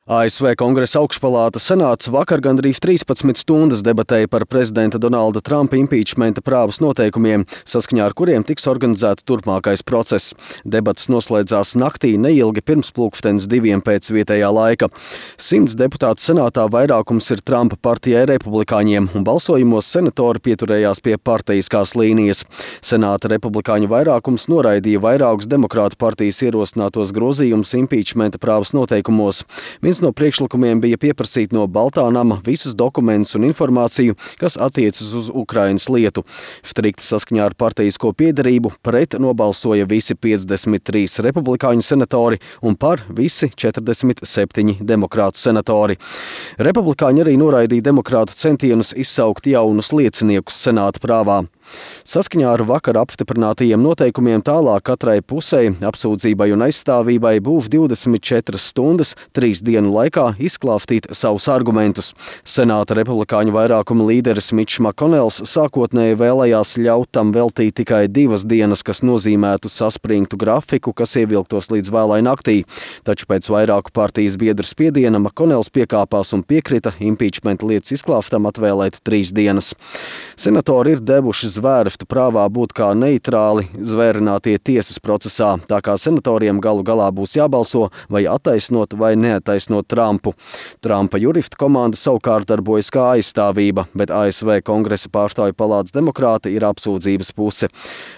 ASV Kongresa augšpalāta senāts vakar gandrīz 13 stundas debatēja par prezidenta Donalda Trumpa impīčmenta prāvas noteikumiem, saskaņā ar kuriem tiks organizēts turpmākais process. Debates noslēdzās naktī neilgi pirms pulkstenes 2 pēc vietējā laika. 100 deputātu senātā vairākums ir Trumpa partijai republikāņiem, un balsojumos senatori pieturējās pie partijiskās līnijas. Senāta republikāņu vairākums noraidīja vairākus demokrātu partijas ierosinātos grozījumus impīčmenta prāvas noteikumos. Viens no priekšlikumiem bija pieprasīt no Baltā nama visus dokumentus un informāciju, kas attiecas uz Ukrainas lietu. Strikti saskaņā ar partijisko piederību pret nobalsoja visi 53 republikāņu senatori un par visi 47 demokrātu senatori. Republikāņi arī noraidīja demokrātu centienus izsaukt jaunus lieciniekus senāta prāvā. Saskaņā ar vakar apstiprinātajiem noteikumiem tālāk katrai pusei, apsūdzībai un aizstāvībai būs 24 stundas 3 dienu laikā izklāstīt savus argumentus. Senāta republikāņu vairākuma līderis Mitčs Makonels sākotnēji vēlējās ļaut tam veltīt tikai 2 dienas, kas nozīmētu saspringtu grafiku, kas ievilktos līdz vēlai naktī. Taču pēc vairāku partijas biedru spiediena Makonels piekāpās un piekrita impīčmenta lietas izklāstam atvēlēt 3 dienas. Senatori ir devuši zvērstu prāvā būt kā neitrāli zvērinātie tiesas procesā, tā kā senatoriem galu galā būs jābalso vai attaisnot vai neattaisnot Trumpu. Trumpa juristu komanda savukārt darbojas kā aizstāvība, bet ASV Kongresa pārstāvju palātas demokrāti ir apsūdzības puse.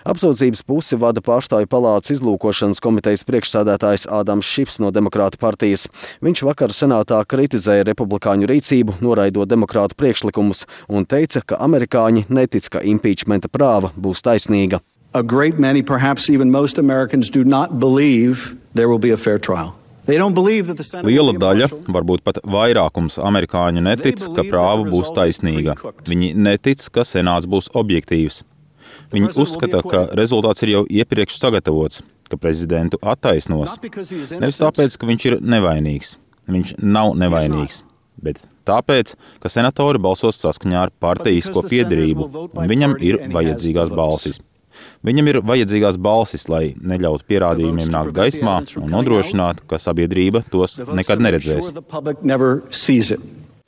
Apsūdzības pusi vada pārstāvju palātas izlūkošanas komitejas priekšsēdētājs Ādams Šifs no demokrātu partijas. Viņš vakar senātā kritizēja republikāņu rīcību, noraidot demokrātu priekšlikumus un teica, ka amerikāņi netic, ka impīčmenta prāva būs taisnīga. A great many, perhaps even most Americans do not believe there will be a fair trial. Liela daļa, varbūt pat vairākums amerikāņu netic, ka prāva būs taisnīga. Viņi netic, ka senāts būs objektīvs. Viņi uzskata, ka rezultāts ir jau iepriekš sagatavots, ka prezidentu attaisnos. Nevis tāpēc, ka viņš ir nevainīgs. Viņš nav nevainīgs. Bet tāpēc, ka senatori balsos saskaņā ar partijisko piederību, un viņam ir vajadzīgās balsis. Viņam ir vajadzīgās balsis, lai neļautu pierādījumiem nākt gaismā un nodrošinātu, ka sabiedrība tos nekad neredzēs.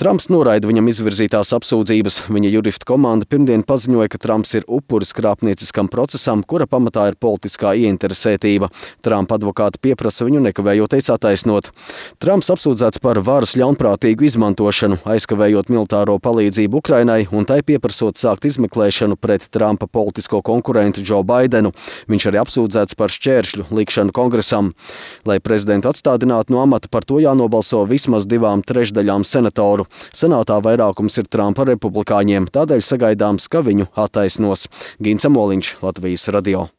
Trumps noraida viņam izvirzītās apsūdzības. Viņa juristu komanda pirmdien paziņoja, ka Trumps ir upuris krāpnieciskam procesam, kura pamatā ir politiskā ieinteresētība. Trumpa advokāti pieprasa viņu nekavējoties attaisnot. Trumps apsūdzēts par varas ļaunprātīgu izmantošanu, aizkavējot militāro palīdzību Ukrainai un tai pieprasot sākt izmeklēšanu pret Trumpa politisko konkurentu Joe Baidenu. Viņš arī apsūdzēts par šķēršļu likšanu kongresam. Lai prezidentu atstādinātu no amata, par to jānobalso vismaz 2/3 senatoru. Senātā vairākums ir Trumpa republikāņiem, tādēļ sagaidāms, ka viņu attaisnos. Gints Amoliņš, Latvijas radio.